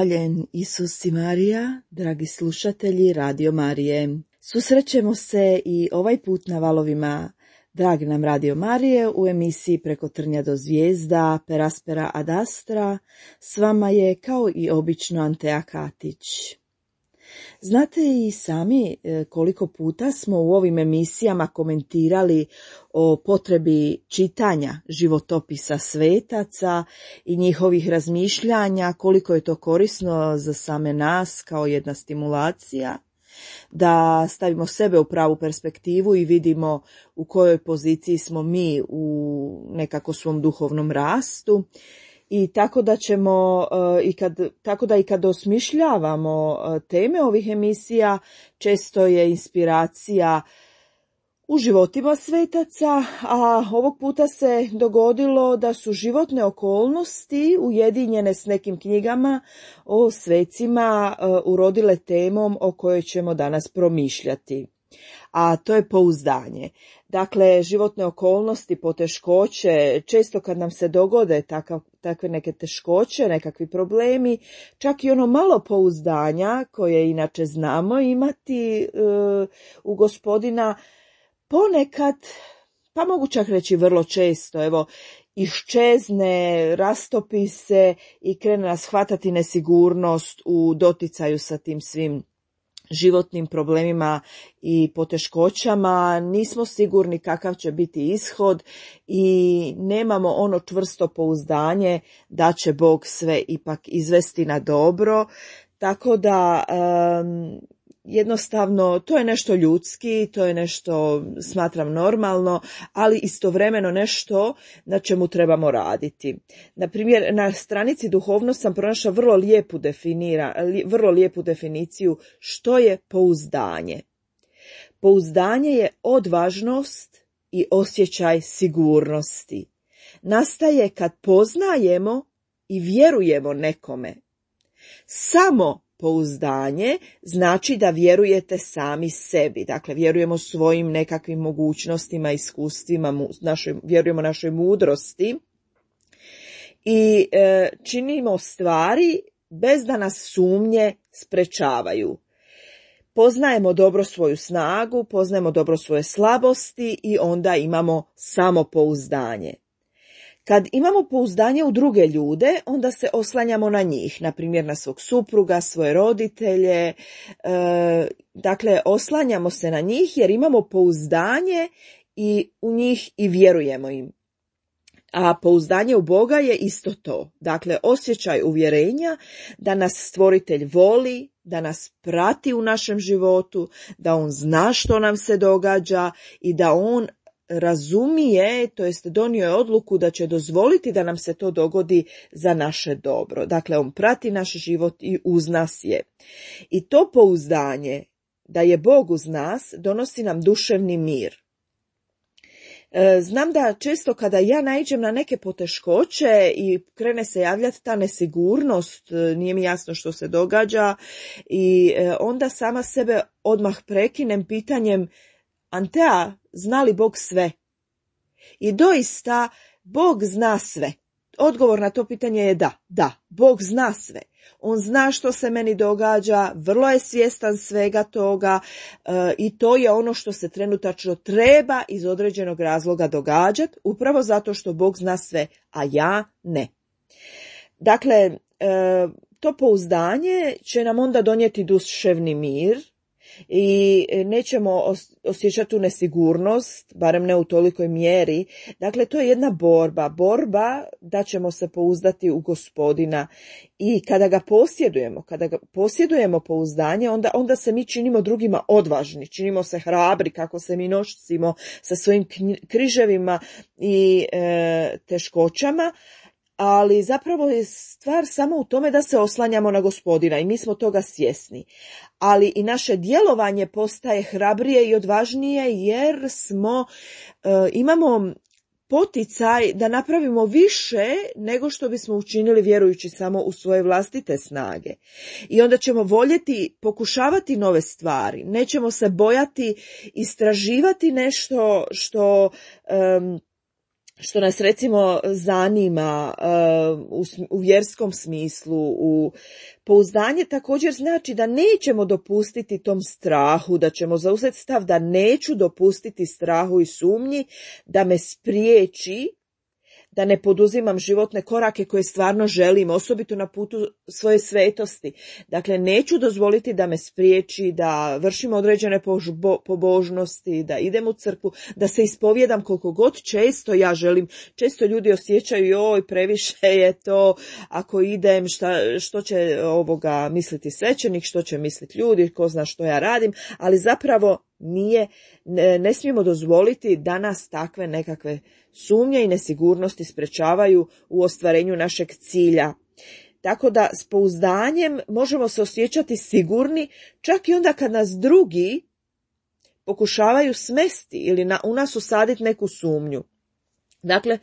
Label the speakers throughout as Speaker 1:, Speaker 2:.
Speaker 1: Hvaljen Isus i Marija, dragi slušatelji Radio Marije. Susrećemo se i ovaj put na valovima dragi nam Radio Marije u emisiji Preko trnja do zvijezda, per aspera ad astra. S vama je kao i obično Antea Katić. Znate i sami koliko puta smo u ovim emisijama komentirali o potrebi čitanja životopisa svetaca i njihovih razmišljanja, koliko je to korisno za same nas kao jedna stimulacija, da stavimo sebe u pravu perspektivu i vidimo u kojoj poziciji smo mi u nekako svom duhovnom rastu. I tako da ćemo, i kad osmišljavamo teme ovih emisija, često je inspiracija u životima svetaca, a ovog puta se dogodilo da su životne okolnosti ujedinjene s nekim knjigama o svecima urodile temom o kojoj ćemo danas promišljati. A to je pouzdanje. Dakle, životne okolnosti, poteškoće, često kad nam se dogode takve neke teškoće, nekakvi problemi, čak i ono malo pouzdanja koje inače znamo imati u Gospodina, ponekad, pa mogu čak reći vrlo često, iščezne, rastopi se i krene nas hvatati nesigurnost u doticaju sa tim svim životnim problemima i poteškoćama, nismo sigurni kakav će biti ishod i nemamo ono čvrsto pouzdanje da će Bog sve ipak izvesti na dobro, tako da jednostavno to je nešto ljudski, to je nešto smatram normalno, ali istovremeno nešto na čemu trebamo raditi. Na primjer, na stranici Duhovnost sam pronašla vrlo lijepu definiciju što je pouzdanje. Pouzdanje je odvažnost i osjećaj sigurnosti. Nastaje kad poznajemo i vjerujemo nekome. Samo pouzdanje znači da vjerujete sami sebi, dakle vjerujemo svojim nekakvim mogućnostima, iskustvima, vjerujemo našoj mudrosti i činimo stvari bez da nas sumnje sprečavaju. Poznajemo dobro svoju snagu, poznajemo dobro svoje slabosti i onda imamo samopouzdanje. Kad imamo pouzdanje u druge ljude, onda se oslanjamo na njih, na primjer na svog supruga, svoje roditelje, dakle oslanjamo se na njih jer imamo pouzdanje i u njih i vjerujemo im. A pouzdanje u Boga je isto to, dakle osjećaj uvjerenja da nas Stvoritelj voli, da nas prati u našem životu, da On zna što nam se događa i da On razumije, to jest donio je odluku da će dozvoliti da nam se to dogodi za naše dobro. Dakle, On prati naš život i uz nas je. I to pouzdanje da je Bog uz nas donosi nam duševni mir. Znam da često kada ja naiđem na neke poteškoće i krene se javljati ta nesigurnost, nije mi jasno što se događa i onda sama sebe odmah prekinem pitanjem: Antea, zna li Bog sve? I doista, Bog zna sve. Odgovor na to pitanje je da, Bog zna sve. On zna što se meni događa, vrlo je svjestan svega toga i to je ono što se trenutačno treba iz određenog razloga događati, upravo zato što Bog zna sve, a ja ne. Dakle, to pouzdanje će nam onda donijeti duševni mir, i nećemo osjećati tu nesigurnost, barem ne u tolikoj mjeri. Dakle, to je jedna borba da ćemo se pouzdati u Gospodina i kada ga posjedujemo pouzdanje, onda se mi činimo drugima odvažni, činimo se hrabri kako se mi nosimo sa svojim križevima i teškoćama, ali zapravo je stvar samo u tome da se oslanjamo na Gospodina i mi smo toga svjesni. Ali i naše djelovanje postaje hrabrije i odvažnije jer imamo poticaj da napravimo više nego što bismo učinili vjerujući samo u svoje vlastite snage. I onda ćemo voljeti pokušavati nove stvari, nećemo se bojati istraživati nešto što što nas recimo zanima u vjerskom smislu, u pouzdanje također znači da nećemo dopustiti tom strahu, da ćemo zauzeti stav da neću dopustiti strahu i sumnji da me spriječi da ne poduzimam životne korake koje stvarno želim, osobito na putu svoje svetosti. Dakle, neću dozvoliti da me spriječi da vršim određene pobožnosti, da idem u crkvu, da se ispovjedam koliko god često ja želim. Često ljudi osjećaju, joj, previše je to, ako idem, što će misliti svećenik, što će misliti ljudi, ko zna što ja radim, ali zapravo ne smijemo dozvoliti da nas takve nekakve sumnje i nesigurnosti sprečavaju u ostvarenju našeg cilja. Tako da s pouzdanjem možemo se osjećati sigurni čak i onda kad nas drugi pokušavaju smesti ili u nas usaditi neku sumnju. Dakle,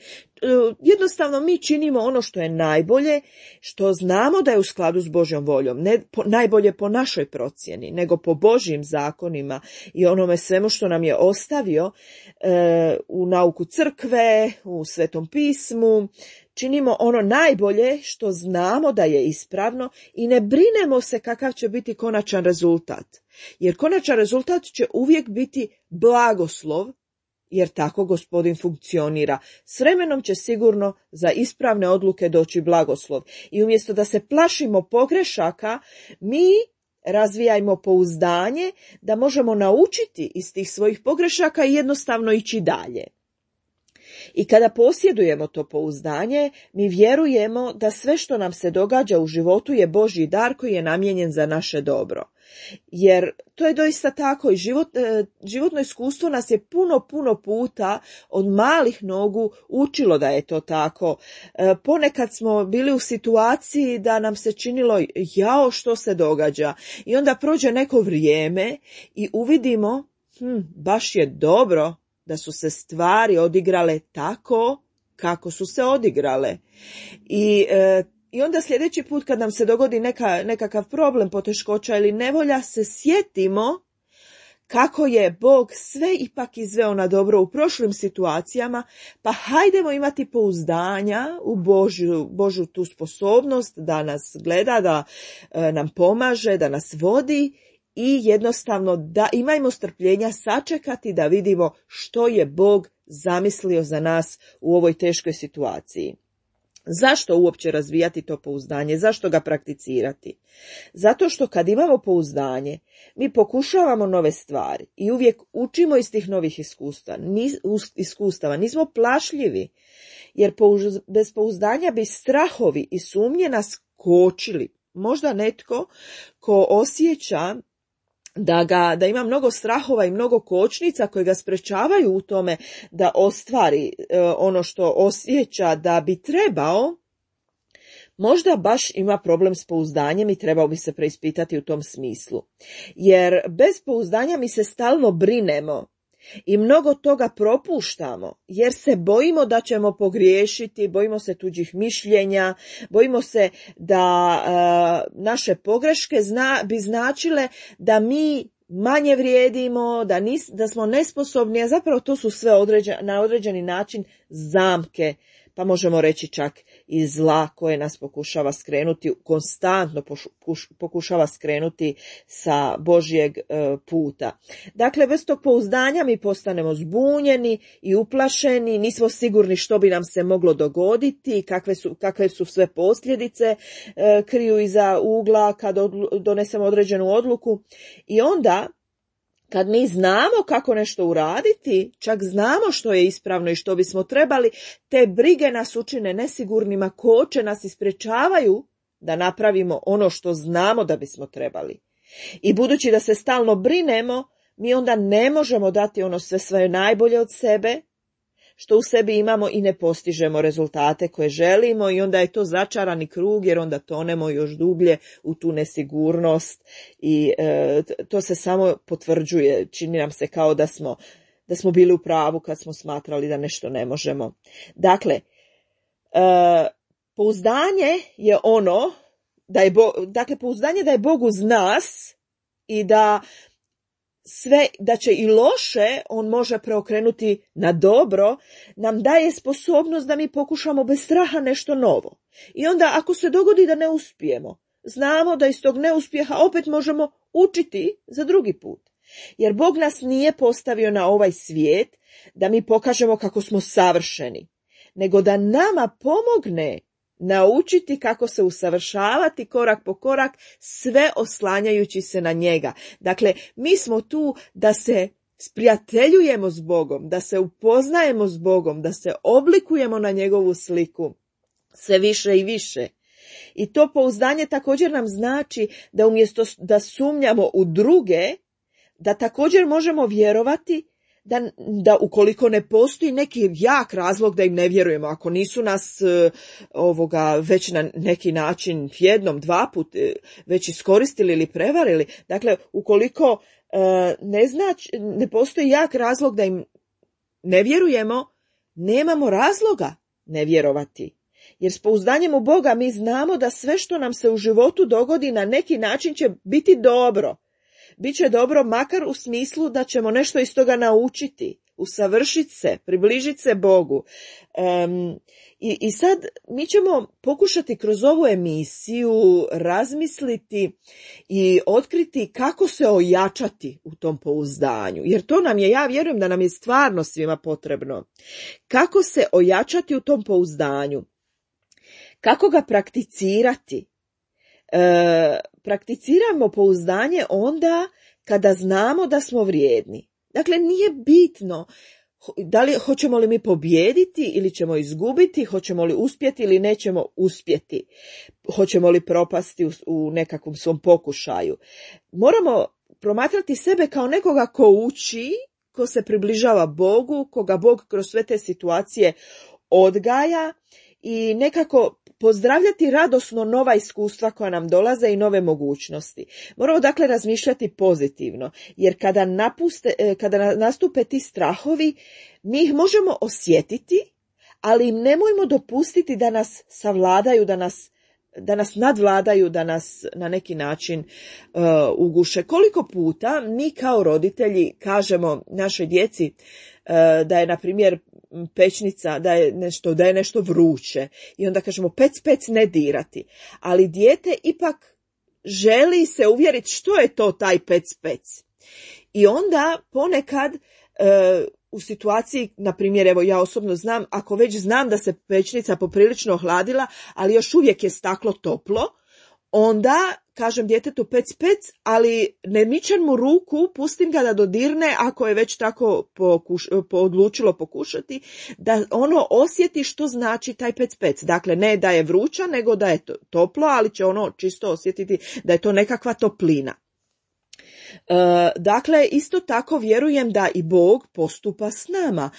Speaker 1: jednostavno mi činimo ono što je najbolje, što znamo da je u skladu s Božjom voljom, ne najbolje po našoj procjeni, nego po Božjim zakonima i onome svemu što nam je ostavio u nauku crkve, u Svetom pismu. Činimo ono najbolje što znamo da je ispravno i ne brinemo se kakav će biti konačan rezultat. Jer konačan rezultat će uvijek biti blagoslov, jer tako Gospodin funkcionira. S vremenom će sigurno za ispravne odluke doći blagoslov. I umjesto da se plašimo pogrešaka, mi razvijajmo pouzdanje da možemo naučiti iz tih svojih pogrešaka i jednostavno ići dalje. I kada posjedujemo to pouzdanje, mi vjerujemo da sve što nam se događa u životu je Božji dar koji je namijenjen za naše dobro. Jer to je doista tako i životno iskustvo nas je puno puta od malih nogu učilo da je to tako. Ponekad smo bili u situaciji da nam se činilo jao što se događa i onda prođe neko vrijeme i uvidimo baš je dobro da su se stvari odigrale tako kako su se odigrale. I onda sljedeći put kad nam se dogodi nekakav problem, poteškoća ili nevolja, se sjetimo kako je Bog sve ipak izveo na dobro u prošlim situacijama, pa hajdemo imati pouzdanja u Božju tu sposobnost da nas gleda, da nam pomaže, da nas vodi i jednostavno da imajmo strpljenja sačekati da vidimo što je Bog zamislio za nas u ovoj teškoj situaciji. Zašto uopće razvijati to pouzdanje? Zašto ga prakticirati? Zato što kad imamo pouzdanje, mi pokušavamo nove stvari i uvijek učimo iz tih novih iskustava. Nismo plašljivi, jer bez pouzdanja bi strahovi i sumnje nas kočili. Možda netko ko osjeća da ima mnogo strahova i mnogo kočnica koje ga sprečavaju u tome da ostvari ono što osjeća da bi trebao, možda baš ima problem s pouzdanjem i trebao bi se preispitati u tom smislu. Jer bez pouzdanja mi se stalno brinemo i mnogo toga propuštamo, jer se bojimo da ćemo pogriješiti, bojimo se tuđih mišljenja, bojimo se da naše pogreške bi značile da mi manje vrijedimo, da smo nesposobni, a zapravo to su sve na određeni način zamke, pa možemo reći čak i zla koje nas pokušava skrenuti, konstantno pokušava skrenuti sa Božjeg puta. Dakle, bez tog pouzdanja mi postanemo zbunjeni i uplašeni, nismo sigurni što bi nam se moglo dogoditi, kakve su sve posljedice kriju iza ugla kad donesemo određenu odluku. I onda, kad mi znamo kako nešto uraditi, čak znamo što je ispravno i što bismo trebali, te brige nas učine nesigurnima, koče nas i sprečavaju da napravimo ono što znamo da bismo trebali. I budući da se stalno brinemo, mi onda ne možemo dati ono sve svoje najbolje od sebe, što u sebi imamo i ne postižemo rezultate koje želimo i onda je to začarani krug jer onda tonemo još dublje u tu nesigurnost i to se samo potvrđuje. Čini nam se kao da smo bili u pravu kad smo smatrali da nešto ne možemo. Dakle, pouzdanje je ono pouzdanje da je Bog uz nas i da sve, da će i loše on može preokrenuti na dobro, nam daje sposobnost da mi pokušamo bez straha nešto novo. I onda ako se dogodi da ne uspijemo, znamo da iz tog neuspjeha opet možemo učiti za drugi put. Jer Bog nas nije postavio na ovaj svijet da mi pokažemo kako smo savršeni, nego da nama pomogne naučiti kako se usavršavati korak po korak, sve oslanjajući se na njega. Dakle, mi smo tu da se sprijateljujemo s Bogom, da se upoznajemo s Bogom, da se oblikujemo na njegovu sliku sve više i više. I to pouzdanje također nam znači da umjesto da sumnjamo u druge, da također možemo vjerovati da ukoliko ne postoji neki jak razlog da im ne vjerujemo, ako nisu nas već na neki način jednom, dva put već iskoristili ili prevarili, dakle ukoliko ne postoji jak razlog da im ne vjerujemo, nemamo razloga ne vjerovati. Jer s pouzdanjem u Boga mi znamo da sve što nam se u životu dogodi na neki način će biti dobro. Biće dobro makar u smislu da ćemo nešto iz toga naučiti, usavršiti se, približiti se Bogu. I sad mi ćemo pokušati kroz ovu emisiju razmisliti i otkriti kako se ojačati u tom pouzdanju. Jer to nam je, ja vjerujem da nam je stvarno svima potrebno. Kako se ojačati u tom pouzdanju? Kako ga prakticirati? Prakticiramo pouzdanje onda kada znamo da smo vrijedni. Dakle, nije bitno hoćemo li mi pobijediti ili ćemo izgubiti, hoćemo li uspjeti ili nećemo uspjeti, hoćemo li propasti u nekakvom svom pokušaju. Moramo promatrati sebe kao nekoga ko uči, ko se približava Bogu, koga Bog kroz sve te situacije odgaja i nekako pozdravljati radosno nova iskustva koja nam dolaze i nove mogućnosti. Moramo dakle razmišljati pozitivno, jer kada nastupe ti strahovi, mi ih možemo osjetiti, ali im nemojmo dopustiti da nas savladaju, da nas nadvladaju, da nas na neki način uguše. Koliko puta mi kao roditelji kažemo našoj djeci da je, na primjer, pećnica, da je nešto vruće i onda kažemo pec ne dirati, ali dijete ipak želi se uvjeriti što je to taj pec. I onda ponekad u situaciji, na primjer, evo ja osobno znam, ako već znam da se pećnica poprilično ohladila, ali još uvijek je staklo toplo, onda kažem djetetu pec, ali ne mičem mu ruku, pustim ga da dodirne ako je već tako odlučilo pokušati, da ono osjeti što znači taj pec. Dakle, ne da je vruća, nego da je toplo, ali će ono čisto osjetiti da je to nekakva toplina. Dakle, isto tako vjerujem da i Bog postupa s nama.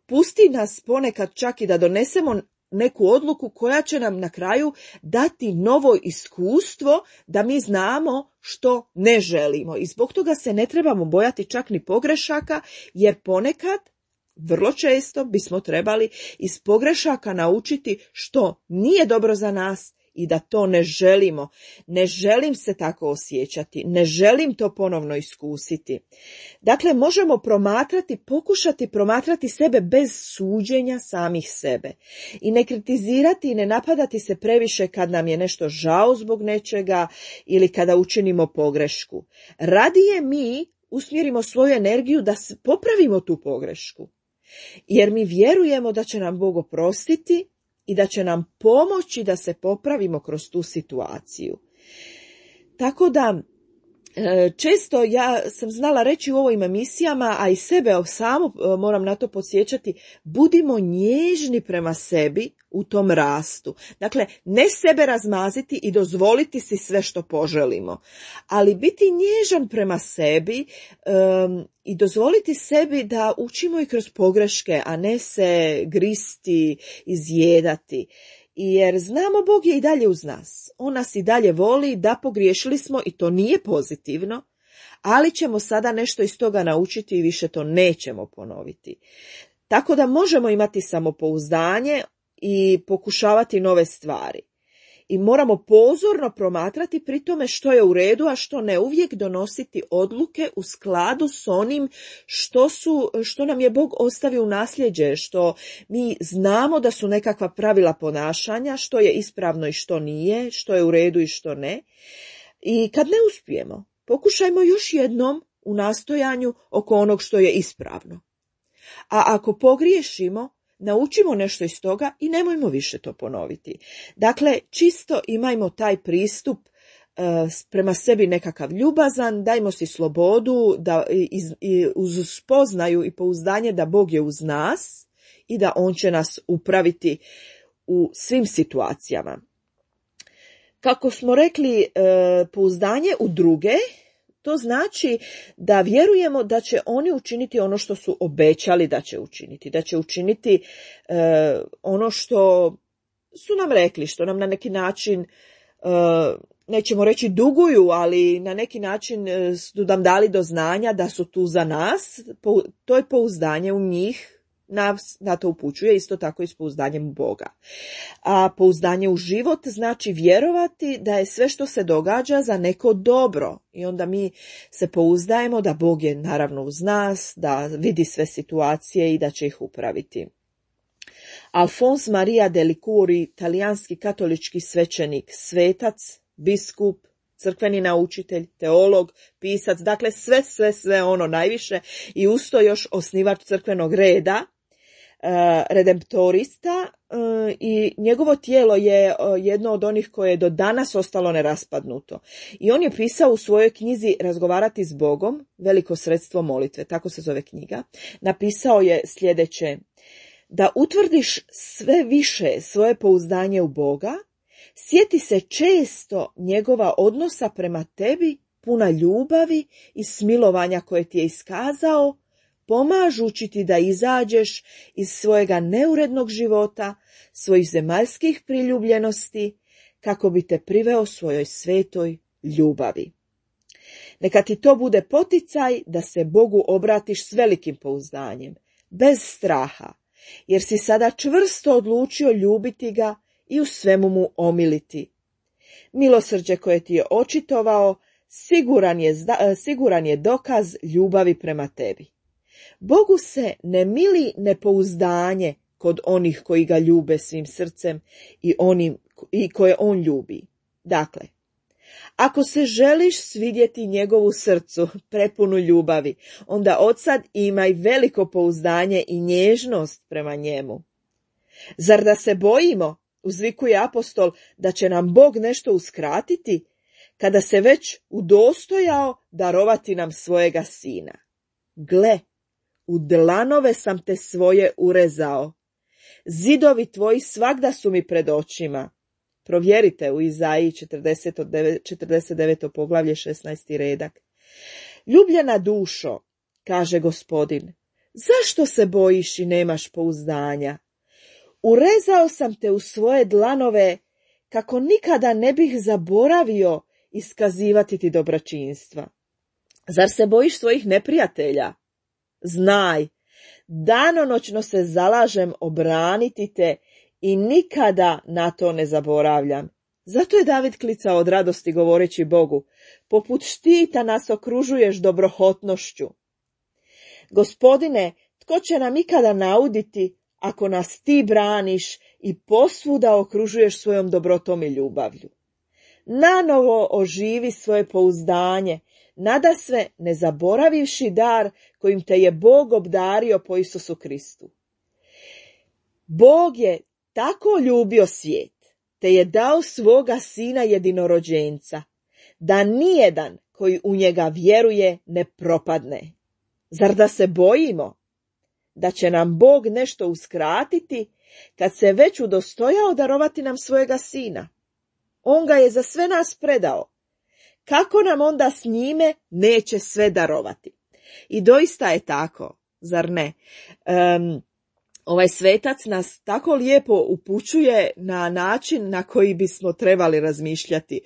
Speaker 1: Pusti nas ponekad čak i da donesemo neku odluku koja će nam na kraju dati novo iskustvo da mi znamo što ne želimo. I zbog toga se ne trebamo bojati čak ni pogrešaka, jer ponekad, vrlo često, bismo trebali iz pogrešaka naučiti što nije dobro za nas i da to ne želimo. Ne želim se tako osjećati, ne želim to ponovno iskusiti. Dakle, možemo pokušati promatrati sebe bez suđenja samih sebe. I ne kritizirati i ne napadati se previše kad nam je nešto žao zbog nečega ili kada učinimo pogrešku. Radije mi usmjerimo svoju energiju da popravimo tu pogrešku. Jer mi vjerujemo da će nam Bog oprostiti i da će nam pomoći da se popravimo kroz tu situaciju. Tako da, često ja sam znala reći u ovim emisijama, a i sebe samo moram na to podsjećati, budimo nježni prema sebi u tom rastu. Dakle, ne sebe razmaziti i dozvoliti si sve što poželimo, ali biti nježan prema sebi i dozvoliti sebi da učimo i kroz pogreške, a ne se gristi, izjedati. Jer znamo, Bog je i dalje uz nas. On nas i dalje voli, da pogriješili smo i to nije pozitivno, ali ćemo sada nešto iz toga naučiti i više to nećemo ponoviti. Tako da možemo imati samopouzdanje i pokušavati nove stvari. i moramo pozorno promatrati pri tome što je u redu, a što ne, uvijek donositi odluke u skladu s onim što nam je Bog ostavio u nasljeđe, što mi znamo da su nekakva pravila ponašanja, što je ispravno i što nije, što je u redu i što ne. I kad ne uspijemo, pokušajmo još jednom u nastojanju oko onog što je ispravno. A ako pogriješimo, naučimo nešto iz toga i nemojmo više to ponoviti. Dakle, čisto imajmo taj pristup prema sebi nekakav ljubazan, dajmo si slobodu da uz spoznaju i pouzdanje da Bog je uz nas i da On će nas upraviti u svim situacijama. Kako smo rekli, pouzdanje u druge, to znači da vjerujemo da će oni učiniti ono što su obećali da će učiniti ono što su nam rekli, što nam na neki način, nećemo reći duguju, ali na neki način su nam dali do znanja da su tu za nas. To je pouzdanje u njih, na to upućuje isto tako i s pouzdanjem u Boga. A pouzdanje u život znači vjerovati da je sve što se događa za neko dobro i onda mi se pouzdajemo da Bog je naravno uz nas, da vidi sve situacije i da će ih upraviti. Alphonse Maria de Ligouri, talijanski katolički svećenik, svetac, biskup, crkveni naučitelj, teolog, pisac, dakle sve ono najviše i usto još osnivač crkvenog reda, redemptorista, i njegovo tijelo je jedno od onih koje je do danas ostalo neraspadnuto. I on je pisao u svojoj knjizi Razgovarati s Bogom, veliko sredstvo molitve, tako se zove knjiga, napisao je sljedeće: da utvrdiš sve više svoje pouzdanje u Boga, sjeti se često njegova odnosa prema tebi, puna ljubavi i smilovanja koje ti je iskazao, pomažući ti da izađeš iz svojega neurednog života, svojih zemaljskih priljubljenosti, kako bi te priveo svojoj svetoj ljubavi. Neka ti to bude poticaj da se Bogu obratiš s velikim pouzdanjem, bez straha, jer si sada čvrsto odlučio ljubiti ga i u svemu mu omiliti. Milosrđe koje ti je očitovao siguran je dokaz ljubavi prema tebi. Bogu se ne mili nepouzdanje kod onih koji ga ljube svim srcem i koje on ljubi. Dakle, ako se želiš svidjeti njegovu srcu prepunu ljubavi, onda odsad imaj veliko pouzdanje i nježnost prema njemu. Zar da se bojimo, uzvikuje apostol, da će nam Bog nešto uskratiti, kada se već udostojao darovati nam svojega sina? Gle, u dlanove sam te svoje urezao. Zidovi tvoji svagda su mi pred očima. Provjerite u Izaiji 49. poglavlje 16. redak. Ljubljena dušo, kaže Gospodin, zašto se bojiš i nemaš pouzdanja? Urezao sam te u svoje dlanove, kako nikada ne bih zaboravio iskazivati ti dobročinstva. Zar se bojiš svojih neprijatelja? Znaj, danonoćno se zalažem obraniti te i nikada na to ne zaboravljam. Zato je David klicao od radosti govoreći Bogu, poput štita nas okružuješ dobrohotnošću. Gospodine, tko će nam ikada nauditi ako nas ti braniš i posvuda okružuješ svojom dobrotom i ljubavlju? Nanovo oživi svoje pouzdanje, nadasve ne zaboravivši dar kojim te je Bog obdario po Isusu Kristu. Bog je tako ljubio svijet, te je dao svoga sina jedinorođenca, da nijedan koji u njega vjeruje ne propadne. Zar da se bojimo da će nam Bog nešto uskratiti, kad se već udostojao darovati nam svojega sina? On ga je za sve nas predao. Kako nam onda s njime neće sve darovati? I doista je tako, zar ne? Ovaj svetac nas tako lijepo upućuje na način na koji bismo trebali razmišljati.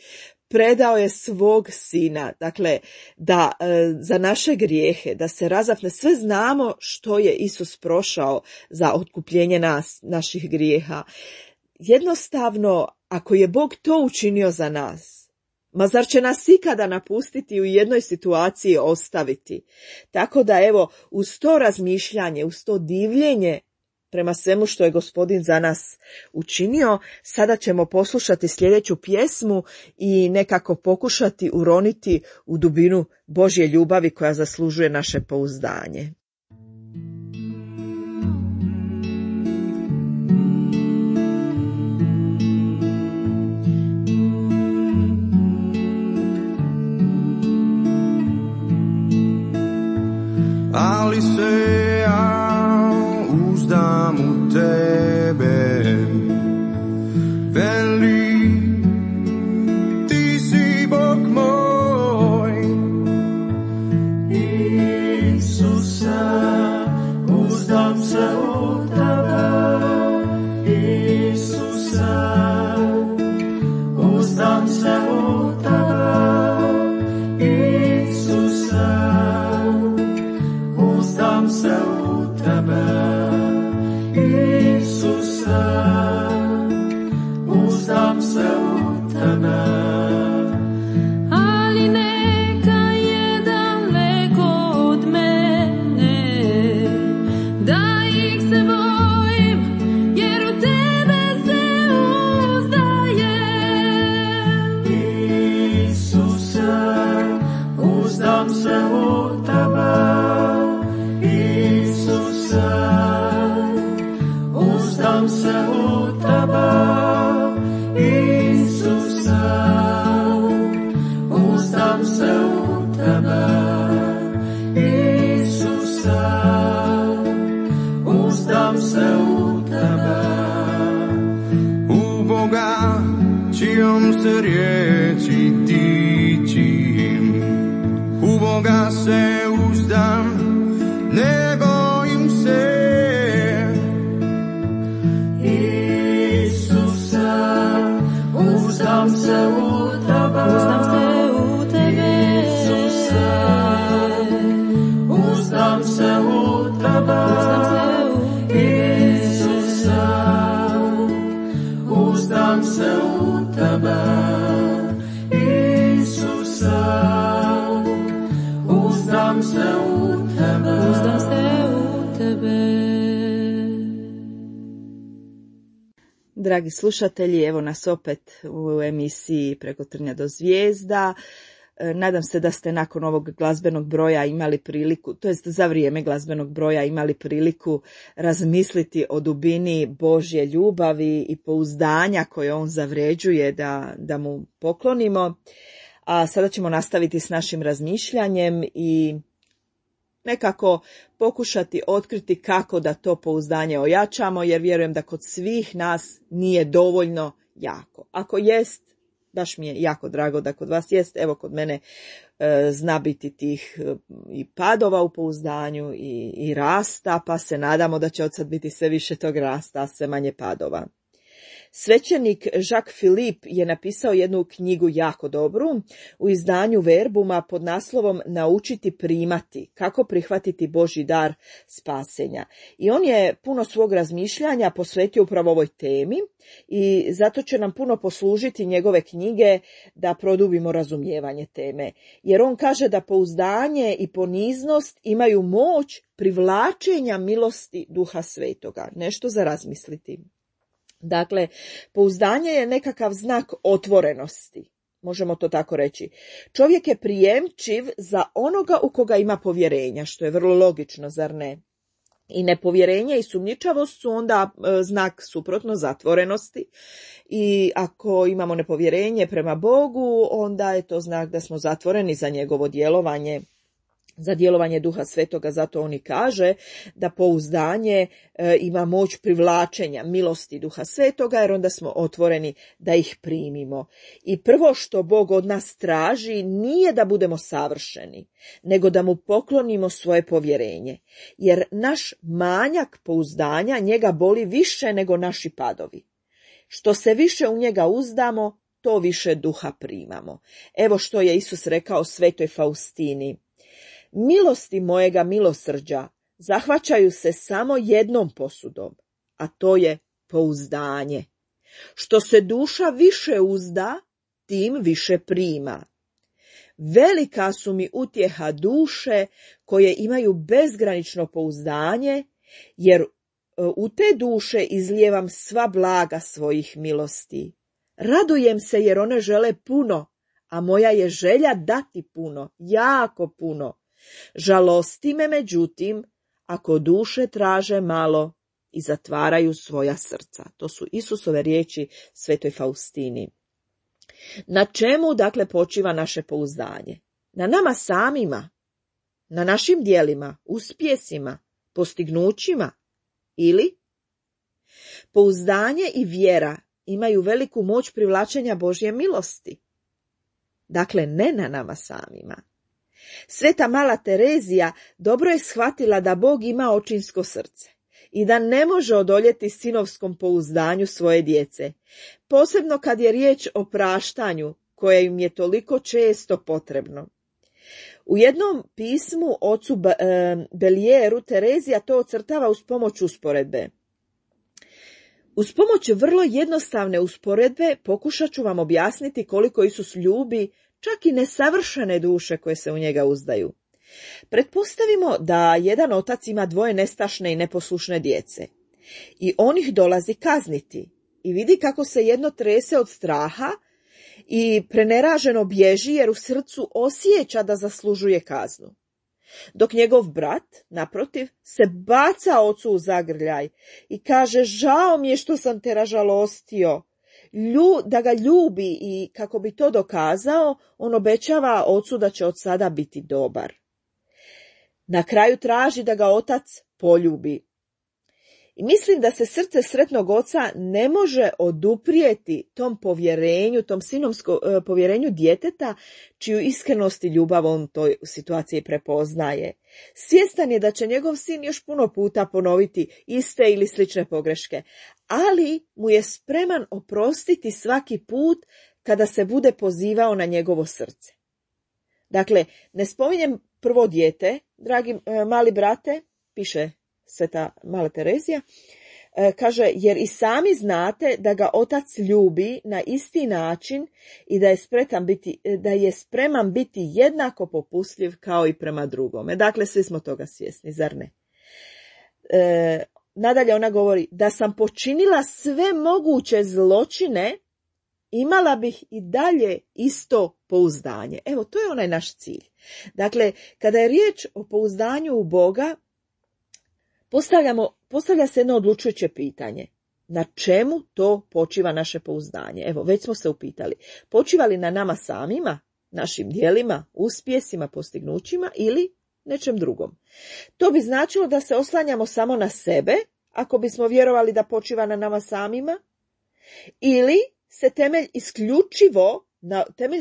Speaker 1: Predao je svog sina, dakle, da za naše grijehe, da se razapne. Sve znamo što je Isus prošao za otkupljenje naših grijeha. jednostavno, ako je Bog to učinio za nas, ma zar će nas ikada napustiti i u jednoj situaciji ostaviti? Tako da evo, uz to razmišljanje, uz to divljenje prema svemu što je Gospodin za nas učinio, sada ćemo poslušati sljedeću pjesmu i nekako pokušati uroniti u dubinu Božje ljubavi koja zaslužuje naše pouzdanje.
Speaker 2: Ali se ja uzdam u tebe, veli, ti si Bog moj. Isuse, uzdam se u tebe, Isuse, uzdam se u tebe, Isuse, uzdam se u tebe, Isuse, uzdam se u tebe.
Speaker 3: Ali neka je daleko od mene, da ih se bojim, jer u tebe se uzdajem.
Speaker 2: Isuse, uzdam se u tebe, Isuse, uzdam se u tebe, Isuse, uzdam se u tebe, Isuse, uzdam se u tebe. U Boga čijom se riječi tičim, u Boga se uzdam, ne bojim se. Isuse, uzdam se u tebe,
Speaker 3: Uzdam se u tebe,
Speaker 2: Isuse, uzdam se u tebe,
Speaker 3: uzdam se u tebe,
Speaker 2: Isuse, uzdam se u tebe, Isuse, uzdam se u tebe.
Speaker 3: uzdam se u tebe.
Speaker 1: Dragi slušatelji, evo nas opet u emisiji Preko trnja do zvijezda. Nadam se da ste nakon ovog glazbenog broja imali priliku, to jest za vrijeme glazbenog broja imali priliku razmisliti o dubini Božje ljubavi i pouzdanja koje on zavređuje da mu poklonimo. A sada ćemo nastaviti s našim razmišljanjem i nekako pokušati otkriti kako da to pouzdanje ojačamo, jer vjerujem da kod svih nas nije dovoljno jako. Ako jest, baš mi je jako drago da kod vas jest, evo kod mene zna biti tih i padova u pouzdanju i rasta, pa se nadamo da će od sad biti sve više tog rasta, a sve manje padova. Svećenik Jacques Philippe je napisao jednu knjigu jako dobru u izdanju Verbuma pod naslovom Naučiti primati, kako prihvatiti Božji dar spasenja. I on je puno svog razmišljanja posvetio upravo ovoj temi i zato će nam puno poslužiti njegove knjige da produbimo razumijevanje teme. Jer on kaže da pouzdanje i poniznost imaju moć privlačenja milosti Duha Svetoga. Nešto za razmisliti. Dakle, pouzdanje je nekakav znak otvorenosti, možemo to tako reći. Čovjek je prijemčiv za onoga u koga ima povjerenja, što je vrlo logično, zar ne? I nepovjerenje i sumnjičavost su onda znak suprotno zatvorenosti i ako imamo nepovjerenje prema Bogu, onda je to znak da smo zatvoreni za njegovo djelovanje, za djelovanje Duha Svetoga. Zato on i kaže da pouzdanje ima moć privlačenja milosti Duha Svetoga, jer onda smo otvoreni da ih primimo. I prvo što Bog od nas traži nije da budemo savršeni, nego da mu poklonimo svoje povjerenje, jer naš manjak pouzdanja njega boli više nego naši padovi. Što se više u njega uzdamo, to više Duha primamo. Evo što je Isus rekao svetoj Faustini: milosti mojega milosrđa zahvaćaju se samo jednom posudom, a to je pouzdanje. Što se duša više uzda, tim više prima. Velika su mi utjeha duše koje imaju bezgranično pouzdanje, jer u te duše izlijevam sva blaga svojih milosti. Radujem se jer one žele puno, a moja je želja dati puno, jako puno. Žalosti me, međutim, ako duše traže malo i zatvaraju svoja srca. To su Isusove riječi svetoj Faustini. Na čemu, dakle, počiva naše pouzdanje? Na nama samima, na našim djelima, uspjesima, postignućima ili? Pouzdanje i vjera imaju veliku moć privlačenja Božje milosti. Dakle, ne na nama samima. Sveta mala Terezija dobro je shvatila da Bog ima očinsko srce i da ne može odoljeti sinovskom pouzdanju svoje djece, posebno kad je riječ o praštanju koje im je toliko često potrebno. U jednom pismu ocu Belieru Terezija to ocrtava uz pomoć usporedbe. Uz pomoć vrlo jednostavne usporedbe pokušat ću vam objasniti koliko Isus ljubi čak i nesavršene duše koje se u njega uzdaju. Pretpostavimo da jedan otac ima dvoje nestašne i neposlušne djece i on ih dolazi kazniti i vidi kako se jedno trese od straha i preneraženo bježi jer u srcu osjeća da zaslužuje kaznu. Dok njegov brat, naprotiv, se baca ocu u zagrljaj i kaže: žao mi je što sam te ražalostio. Da ga ljubi i kako bi to dokazao, on obećava ocu da će od sada biti dobar. Na kraju traži da ga otac poljubi. I mislim da se srce sretnog oca ne može oduprijeti tom povjerenju, tom sinomskom povjerenju djeteta, čiju iskrenost i ljubav on toj situaciji prepoznaje. Svjestan je da će njegov sin još puno puta ponoviti iste ili slične pogreške, ali mu je spreman oprostiti svaki put kada se bude pozivao na njegovo srce. Dakle, ne spominjem prvo dijete, dragi mali brate, piše sveta mala Terezija, kaže, jer i sami znate da ga otac ljubi na isti način i da je spreman biti jednako popustljiv kao i prema drugome. Dakle, svi smo toga svjesni, zar ne? Nadalje ona govori: da sam počinila sve moguće zločine, imala bih i dalje isto pouzdanje. Evo, to je onaj naš cilj. Dakle, kada je riječ o pouzdanju u Boga, postavlja se jedno odlučujuće pitanje. Na čemu to počiva naše pouzdanje? Evo, već smo se upitali. Počiva li na nama samima, našim djelima, uspjesima, postignućima ili nečem drugom? To bi značilo da se oslanjamo samo na sebe, ako bismo vjerovali da počiva na nama samima, ili se temelji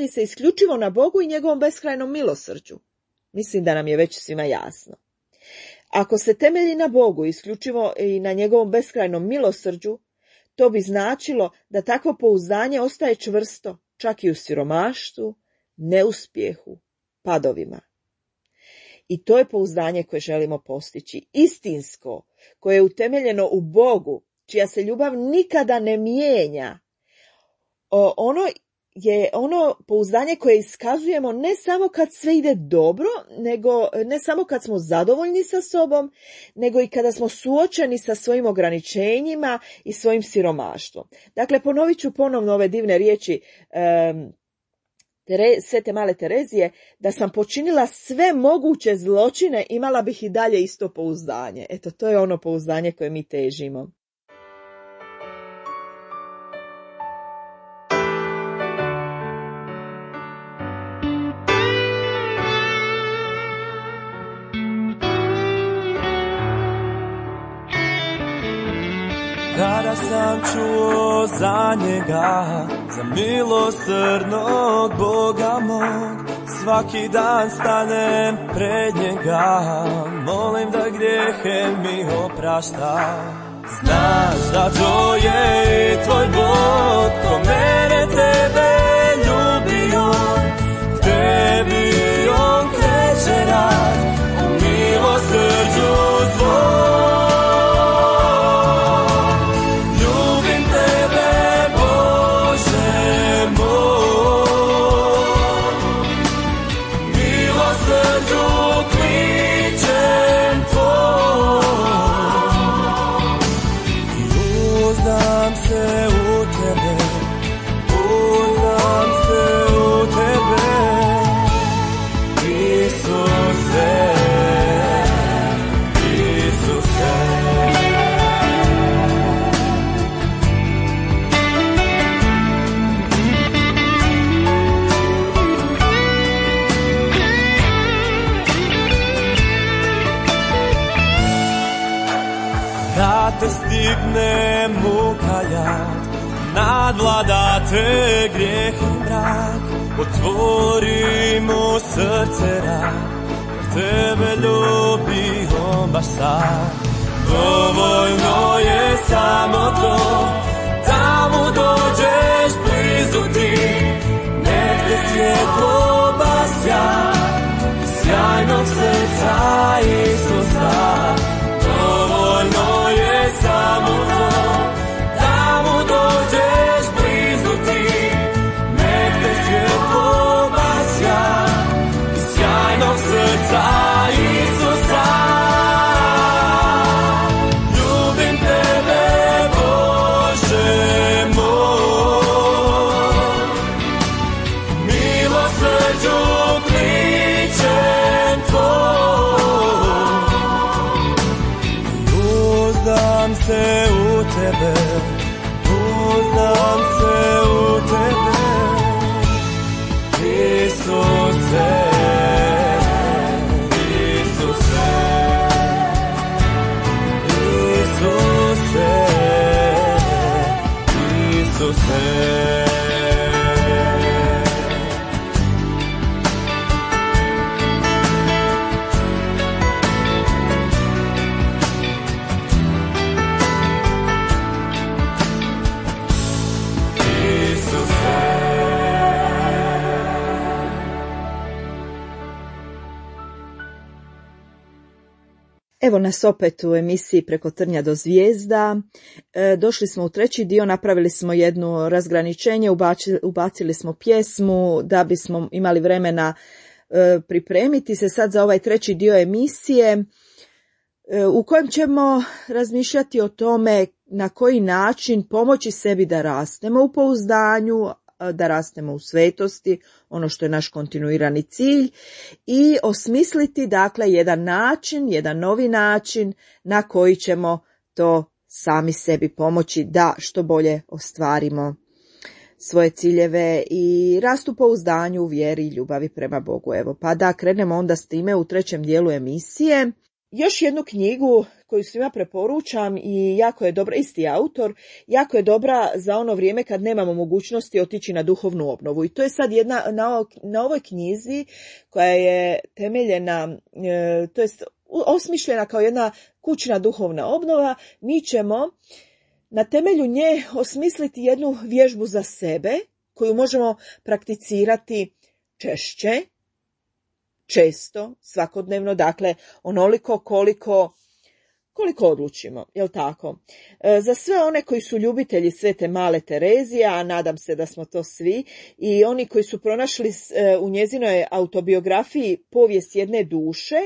Speaker 1: se isključivo na Bogu i njegovom beskrajnom milosrđu. Mislim da nam je već svima jasno. Ako se temelji na Bogu isključivo i na njegovom beskrajnom milosrđu, to bi značilo da takvo pouzdanje ostaje čvrsto, čak i u siromaštvu, neuspjehu, padovima. I to je pouzdanje koje želimo postići, istinsko, koje je utemeljeno u Bogu, čija se ljubav nikada ne mijenja. Ono je ono pouzdanje koje iskazujemo ne samo kad sve ide dobro, ne samo kad smo zadovoljni sa sobom, nego i kada smo suočeni sa svojim ograničenjima i svojim siromaštvom. Dakle, ponovit ću ponovno ove divne riječi svete male Terezije: da sam počinila sve moguće zločine, imala bih i dalje isto pouzdanje. Eto, to je ono pouzdanje koje mi težimo.
Speaker 2: Kada sam čuo za njega, za milosrdnog Boga mog, svaki dan stanem pred njega, molim da grijehe mi oprašta. Znaš da to je i tvoj Bog, ko mene tebe ljubio, tebi on kreće rad, u milosrđu svoj. Ljubim tebe, stigne muka jad, nadvladate grijeh i mrak, otvori mu srce rad, jer tebe ljubi on baš sad. Dovoljno je samo to, da mu dođeš blizu ti, nek te svjetlo basja, sjajnog srca Isusa. Dovoljno je samo to, da mu dođeš blizu ti, nek te svjetlo basja, sjajnog srca Isusa. Ljubim tebe, Bože moj, milosrđu kličem tvoj. Uzdam se u tebe, uzdam se u tebe, Isuse.
Speaker 1: Evo nas opet u emisiji Preko trnja do zvijezda. Došli smo u treći dio, napravili smo jedno razgraničenje, ubacili smo pjesmu da bismo imali vremena pripremiti se sad za ovaj treći dio emisije u kojem ćemo razmišljati o tome na koji način pomoći sebi da rastemo u pouzdanju, da rastemo u svetosti, ono što je naš kontinuirani cilj, i osmisliti dakle jedan način, jedan novi način na koji ćemo to sami sebi pomoći da što bolje ostvarimo svoje ciljeve i rastu pouzdanju u vjeri i ljubavi prema Bogu. Evo, pa da krenemo onda s time u trećem dijelu emisije. Još jednu knjigu koju svima preporučam i jako je dobra, isti autor, jako je dobra za ono vrijeme kad nemamo mogućnosti otići na duhovnu obnovu. I to je sad jedna, na ovoj knjizi koja je temeljena, to jest osmišljena kao jedna kućna duhovna obnova, mi ćemo na temelju nje osmisliti jednu vježbu za sebe koju možemo prakticirati često, svakodnevno, dakle onoliko koliko odlučimo, jel tako? Za sve one koji su ljubitelji Svete Male Terezije, a nadam se da smo to svi, i oni koji su pronašli u njezinoj autobiografiji Povijest jedne duše,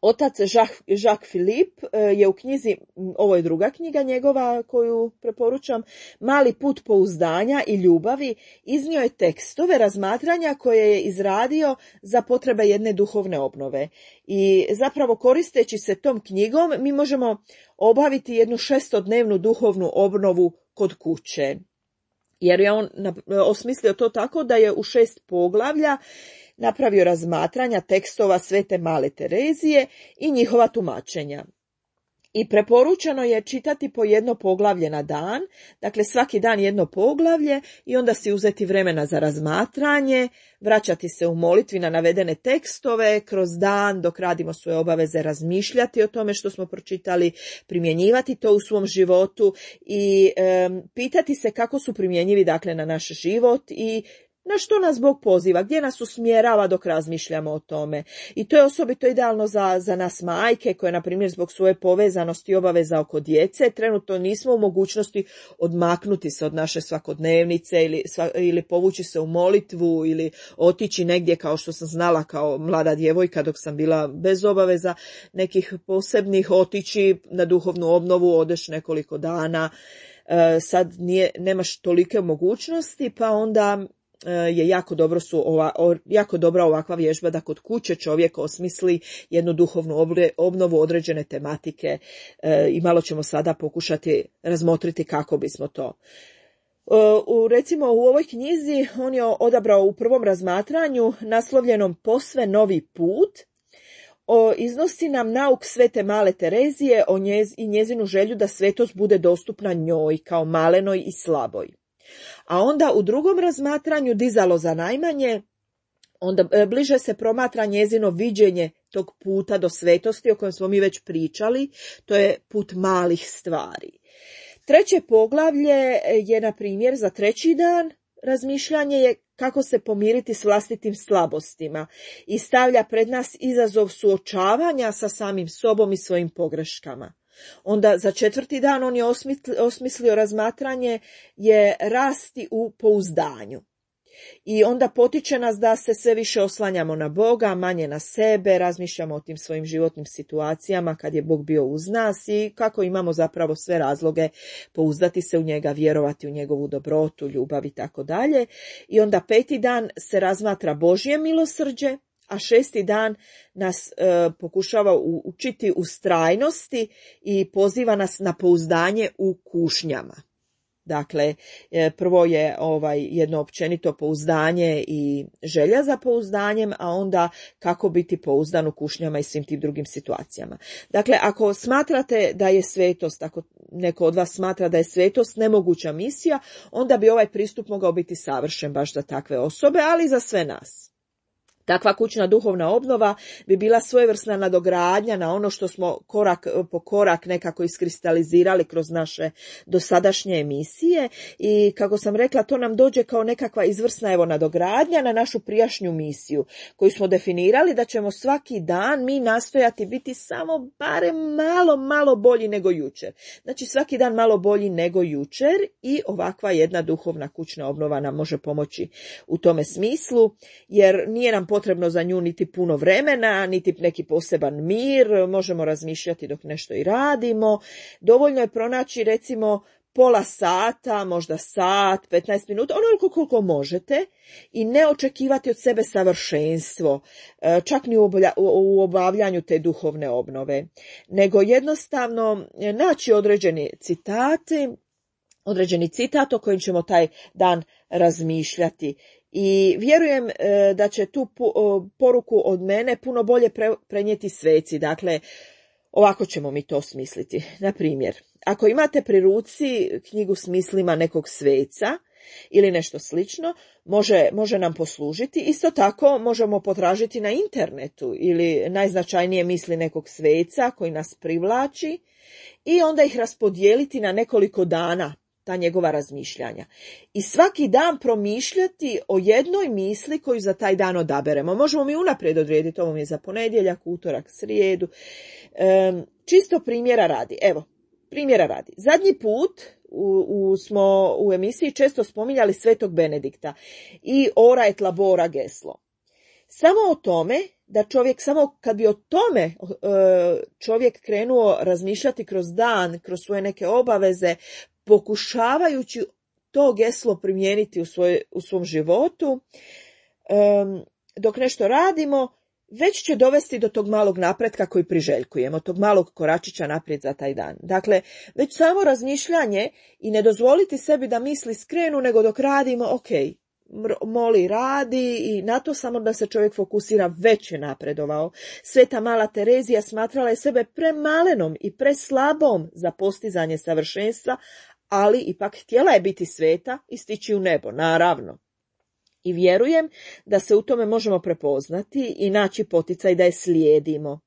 Speaker 1: otac Jacques Philippe je u knjizi, ovo je druga knjiga njegova koju preporučam, Mali put pouzdanja i ljubavi, iznio je tekstove razmatranja koje je izradio za potrebe jedne duhovne obnove. I zapravo koristeći se tom knjigom mi možemo obaviti jednu 6-dnevnu duhovnu obnovu kod kuće. Jer je on osmislio to tako da je u 6 poglavlja napravio razmatranja tekstova Svete Male Terezije i njihova tumačenja. I preporučeno je čitati po jedno poglavlje na dan, dakle svaki dan jedno poglavlje i onda si uzeti vremena za razmatranje, vraćati se u molitvi na navedene tekstove, kroz dan dok radimo svoje obaveze razmišljati o tome što smo pročitali, primjenjivati to u svom životu i pitati se kako su primjenjivi dakle na naš život i na što nas Bog poziva, gdje nas usmjerava dok razmišljamo o tome. I to je osobito idealno za nas majke koje, na primjer, zbog svoje povezanosti i obaveza oko djece, trenutno nismo u mogućnosti odmaknuti se od naše svakodnevnice ili povući se u molitvu ili otići negdje kao što sam znala kao mlada djevojka dok sam bila bez obaveza nekih posebnih, otići na duhovnu obnovu, odeš nekoliko dana, sad nemaš tolike mogućnosti, pa onda je jako dobra ovakva vježba da kod kuće čovjek osmisli jednu duhovnu obnovu određene tematike i malo ćemo sada pokušati razmotriti kako bismo to. Recimo u ovoj knjizi on je odabrao u prvom razmatranju naslovljenom Posve novi put, iznosi nam nauk svete male Terezije i njezinu želju da svetost bude dostupna njoj kao malenoj i slaboj. A onda u drugom razmatranju dizalo za najmanje, onda bliže se promatra njezino viđenje tog puta do svetosti o kojem smo mi već pričali, to je put malih stvari. Treće poglavlje je, na primjer, za treći dan razmišljanje je kako se pomiriti s vlastitim slabostima i stavlja pred nas izazov suočavanja sa samim sobom i svojim pogreškama. Onda za četvrti dan on je osmislio razmatranje je rasti u pouzdanju. I onda potiče nas da se sve više oslanjamo na Boga, manje na sebe, razmišljamo o tim svojim životnim situacijama kad je Bog bio uz nas i kako imamo zapravo sve razloge pouzdati se u njega, vjerovati u njegovu dobrotu, ljubav i tako dalje. I onda peti dan se razmatra Božje milosrđe, a šesti dan nas pokušava učiti ustrajnosti i poziva nas na pouzdanje u kušnjama. Dakle, prvo je jedno općenito pouzdanje i želja za pouzdanjem, a onda kako biti pouzdan u kušnjama i svim tim drugim situacijama. Dakle, ako smatrate da je svetost, ako neko od vas smatra da je svetost nemoguća misija, onda bi ovaj pristup mogao biti savršen baš za takve osobe, ali i za sve nas. Takva kućna duhovna obnova bi bila svojevrsna nadogradnja na ono što smo korak po korak nekako iskristalizirali kroz naše dosadašnje emisije i kako sam rekla, to nam dođe kao nekakva izvrsna nadogradnja na našu prijašnju misiju koju smo definirali da ćemo svaki dan mi nastojati biti samo barem malo bolji nego jučer. Znači svaki dan malo bolji nego jučer i ovakva jedna duhovna kućna obnova nam može pomoći u tome smislu, jer nije nam potrebno za nju niti puno vremena, niti neki poseban mir, možemo razmišljati dok nešto i radimo. Dovoljno je pronaći recimo pola sata, možda sat, 15 minuta, onoliko koliko možete i ne očekivati od sebe savršenstvo, čak ni u obavljanju te duhovne obnove, nego jednostavno naći određeni citat o kojem ćemo taj dan razmišljati. I vjerujem da će tu poruku od mene puno bolje prenijeti sveci. Dakle, ovako ćemo mi to smisliti. Na primjer, ako imate pri ruci knjigu s mislima nekog sveca ili nešto slično, može nam poslužiti. Isto tako možemo potražiti na internetu ili najznačajnije misli nekog sveca koji nas privlači i onda ih raspodijeliti na nekoliko dana, ta njegova razmišljanja. I svaki dan promišljati o jednoj misli koju za taj dan odaberemo. Možemo mi unaprijed odrediti, ovo mi je za ponedjeljak, utorak, srijedu. Čisto primjera radi. Evo, primjera radi. Zadnji put smo u emisiji često spominjali Svetog Benedikta i ora et labora geslo. Samo o tome da čovjek, samo kad bi o tome čovjek krenuo razmišljati kroz dan, kroz svoje neke obaveze, pokušavajući to geslo primijeniti u svom životu, dok nešto radimo, već će dovesti do tog malog napretka koji priželjkujemo, tog malog koračića naprijed za taj dan. Dakle, već samo razmišljanje i ne dozvoliti sebi da misli skrenu, nego dok radimo, ok, moli, radi i na to samo da se čovjek fokusira, već je napredovao. Sveta mala Terezija smatrala je sebe premalenom i preslabom za postizanje savršenstva, ali ipak htjela je biti sveta i stići u nebo, naravno. I vjerujem da se u tome možemo prepoznati i naći poticaj da je slijedimo.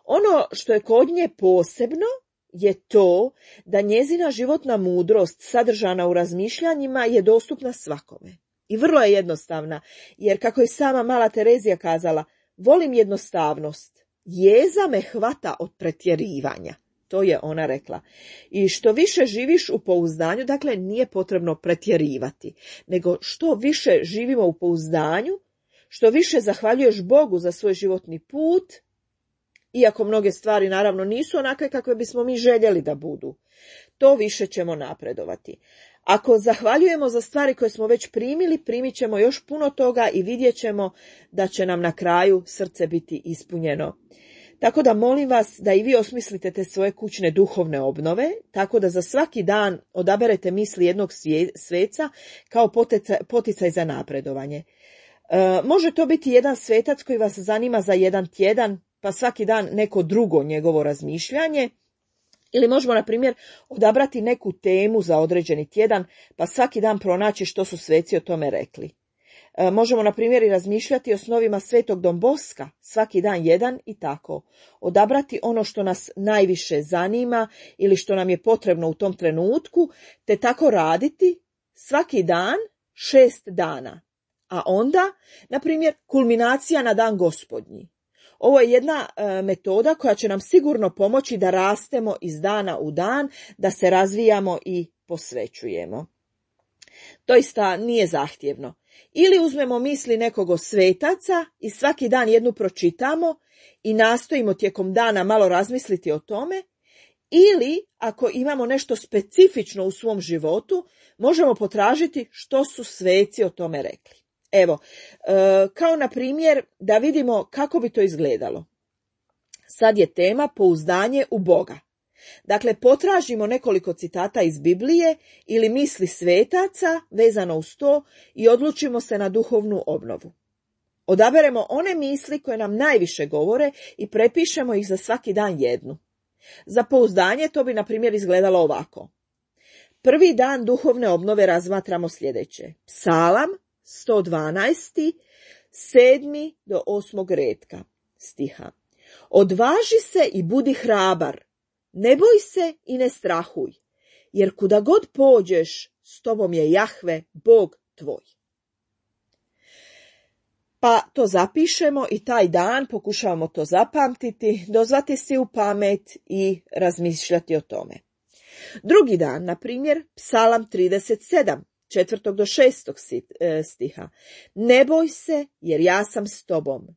Speaker 1: Ono što je kod nje posebno je to da njezina životna mudrost sadržana u razmišljanjima je dostupna svakome. I vrlo je jednostavna, jer kako je sama mala Terezija kazala, volim jednostavnost, jeza me hvata od pretjerivanja. To je ona rekla. I što više živiš u pouzdanju, dakle nije potrebno pretjerivati, nego što više živimo u pouzdanju, što više zahvaljuješ Bogu za svoj životni put, iako mnoge stvari naravno nisu onakve kakve bismo mi željeli da budu, to više ćemo napredovati. Ako zahvaljujemo za stvari koje smo već primili, primit ćemo još puno toga i vidjet ćemo da će nam na kraju srce biti ispunjeno. Tako da molim vas da i vi osmislite te svoje kućne duhovne obnove, tako da za svaki dan odaberete misli jednog sveca kao poticaj za napredovanje. Može to biti jedan svetac koji vas zanima za jedan tjedan, pa svaki dan neko drugo njegovo razmišljanje. Ili možemo, na primjer, odabrati neku temu za određeni tjedan, pa svaki dan pronaći što su sveci o tome rekli. Možemo, na primjer, i razmišljati o snovima Svetog Don Boska, svaki dan jedan i tako. Odabrati ono što nas najviše zanima ili što nam je potrebno u tom trenutku, te tako raditi svaki dan 6 dana. A onda, na primjer, kulminacija na dan Gospodnji. Ovo je jedna metoda koja će nam sigurno pomoći da rastemo iz dana u dan, da se razvijamo i posvećujemo. Doista nije zahtjevno. Ili uzmemo misli nekog od svetaca i svaki dan jednu pročitamo i nastojimo tijekom dana malo razmisliti o tome, ili ako imamo nešto specifično u svom životu, možemo potražiti što su sveci o tome rekli. Evo, kao na primjer da vidimo kako bi to izgledalo. Sad je tema pouzdanje u Boga. Dakle, potražimo nekoliko citata iz Biblije ili misli svetaca vezano uz to i odlučimo se na duhovnu obnovu. Odaberemo one misli koje nam najviše govore i prepišemo ih za svaki dan jednu. Za pouzdanje to bi, na primjer, izgledalo ovako. Prvi dan duhovne obnove razmatramo sljedeće. Psalam 112. 7. do 8. redka stiha. Odvaži se i budi hrabar, ne boj se i ne strahuj, jer kuda god pođeš, s tobom je Jahve, Bog tvoj. Pa to zapišemo i taj dan pokušavamo to zapamtiti, dozvati si u pamet i razmišljati o tome. Drugi dan, na primjer, Psalam 37. 4. do 6. stiha. Ne boj se, jer ja sam s tobom.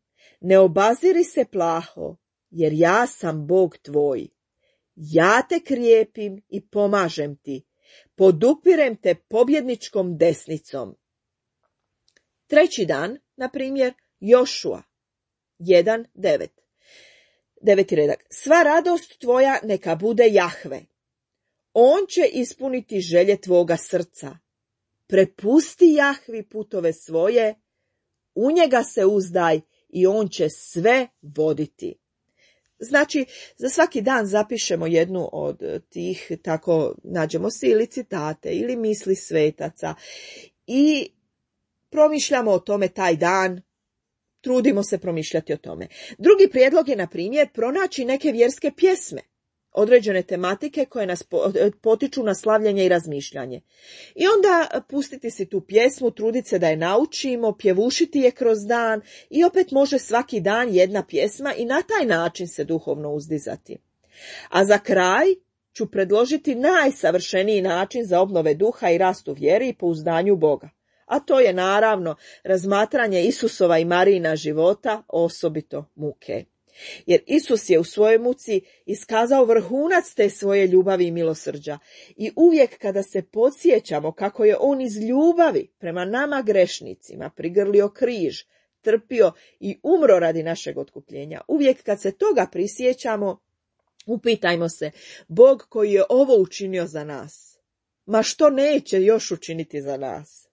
Speaker 1: Ne obaziri se plaho, jer ja sam Bog tvoj. Ja te krijepim i pomažem ti. Podupirem te pobjedničkom desnicom. Treći dan, na primjer, Jošua 1.9. 9. redak. Sva radost tvoja neka bude Jahve. On će ispuniti želje tvoga srca. Prepusti Jahvi putove svoje, u njega se uzdaj i on će sve voditi. Znači, za svaki dan zapišemo jednu od tih, tako nađemo si ili citate ili misli svetaca i promišljamo o tome taj dan, trudimo se promišljati o tome. Drugi prijedlog je, na primjer, pronaći neke vjerske pjesme, određene tematike koje nas potiču na slavljenje i razmišljanje. I onda pustiti si tu pjesmu, truditi se da je naučimo, pjevušiti je kroz dan i opet može svaki dan jedna pjesma i na taj način se duhovno uzdizati. A za kraj ću predložiti najsavršeniji način za obnove duha i rast u vjeri i pouzdanju u Boga. A to je naravno razmatranje Isusova i Marijina života, osobito muke. Jer Isus je u svojoj muci iskazao vrhunac te svoje ljubavi i milosrđa. I uvijek kada se podsjećamo kako je on iz ljubavi prema nama grešnicima prigrlio križ, trpio i umro radi našeg otkupljenja, uvijek kad se toga prisjećamo, upitajmo se, Bog koji je ovo učinio za nas, ma što neće još učiniti za nas?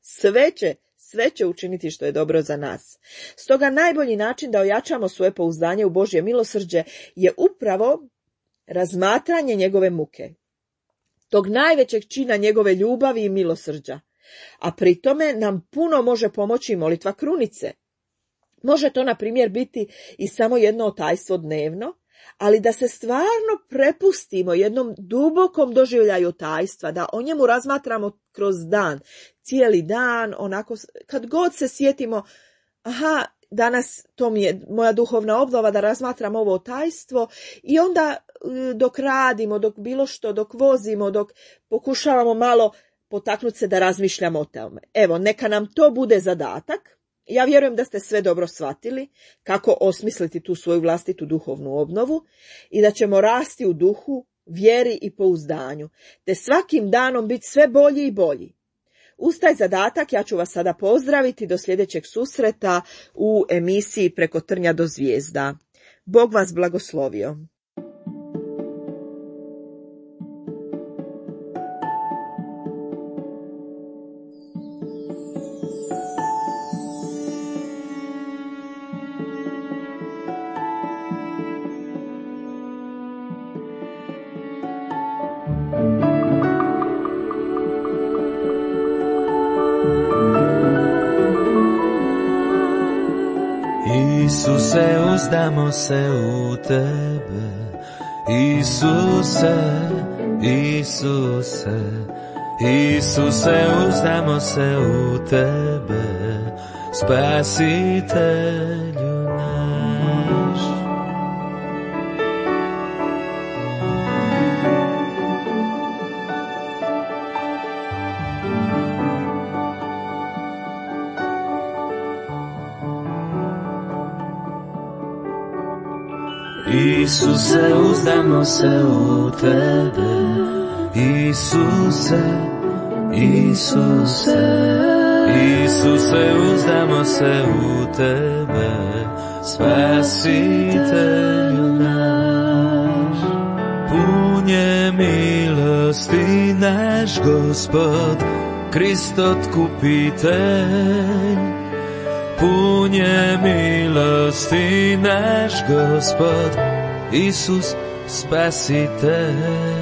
Speaker 1: Sve će učiniti što je dobro za nas. Stoga najbolji način da ojačamo svoje pouzdanje u Božje milosrđe je upravo razmatranje njegove muke, tog najvećeg čina njegove ljubavi i milosrđa. A pri tome nam puno može pomoći molitva krunice. Može to, na primjer, biti i samo jedno otajstvo dnevno, ali da se stvarno prepustimo jednom dubokom doživljaju tajstva, da o njemu razmatramo kroz dan, cijeli dan, onako, kad god se sjetimo, aha, danas to mi je moja duhovna obnova da razmatram ovo tajstvo i onda dok radimo, dok bilo što, dok vozimo, dok pokušavamo malo potaknuti se da razmišljamo o tome. Evo, neka nam to bude zadatak. Ja vjerujem da ste sve dobro shvatili kako osmisliti tu svoju vlastitu duhovnu obnovu i da ćemo rasti u duhu, vjeri i pouzdanju, te svakim danom biti sve bolji i bolji. Uz taj zadatak ja ću vas sada pozdraviti do sljedećeg susreta u emisiji Preko trnja do zvijezda. Bog vas blagoslovio.
Speaker 2: Isuse, uzdamo se u tebe. Isuse, Isuse, Isuse, uzdamo se u tebe, Spasitelju naš. Isuse, uzdamo se u tebe. Isuse, Isuse, Isuse, uzdamo se u tebe, Spasitelju naš. Pun je milosti naš Gospod, Krist otkupitelj. Pun je milosti naš Gospod, Isus Spasitelj.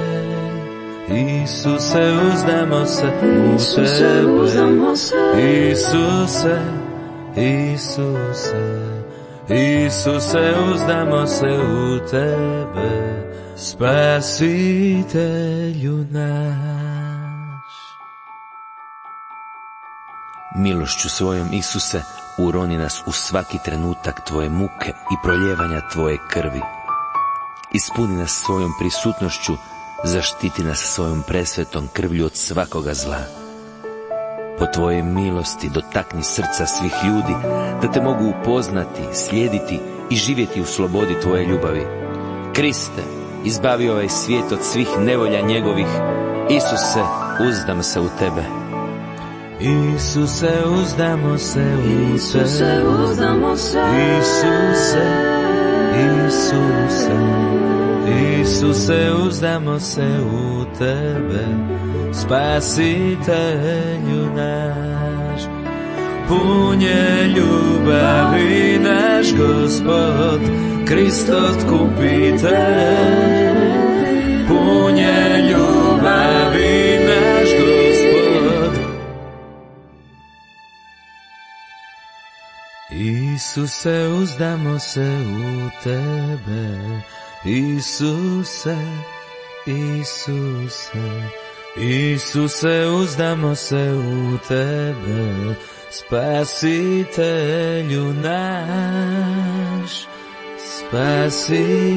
Speaker 2: Isuse, uzdamo se u tebe. Isuse, Isuse, Isuse, uzdamo se u tebe, Spasitelju naš.
Speaker 4: Milošću svojom, Isuse, uroni nas u svaki trenutak tvoje muke i proljevanja tvoje krvi. Ispuni nas svojom prisutnošću, zaštiti nas svojom presvetom krvlju od svakoga zla. Po tvojoj milosti dotakni srca svih ljudi, da te mogu upoznati, slijediti i živjeti u slobodi tvoje ljubavi. Kriste, izbavi ovaj svijet od svih nevolja njegovih. Isuse, uzdam se u tebe.
Speaker 2: Isuse, uzdamo se u
Speaker 3: Isuse,
Speaker 2: tebe.
Speaker 3: uzdamo se.
Speaker 2: Isuse, Isuse, Isuse, uzdamo se u tebe, Spasitelju naš. Pun je ljubavi naš Gospod, Krist otkupitelj. Pun je ljubavi naš Gospod. Isuse, uzdamo se u tebe. Isuse, Isuse, Isuse, uzdamo se u tebe, Spasitelju naš, Spasitelju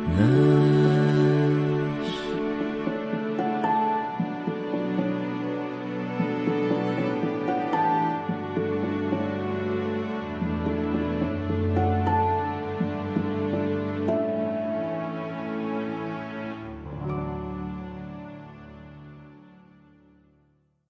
Speaker 2: naš.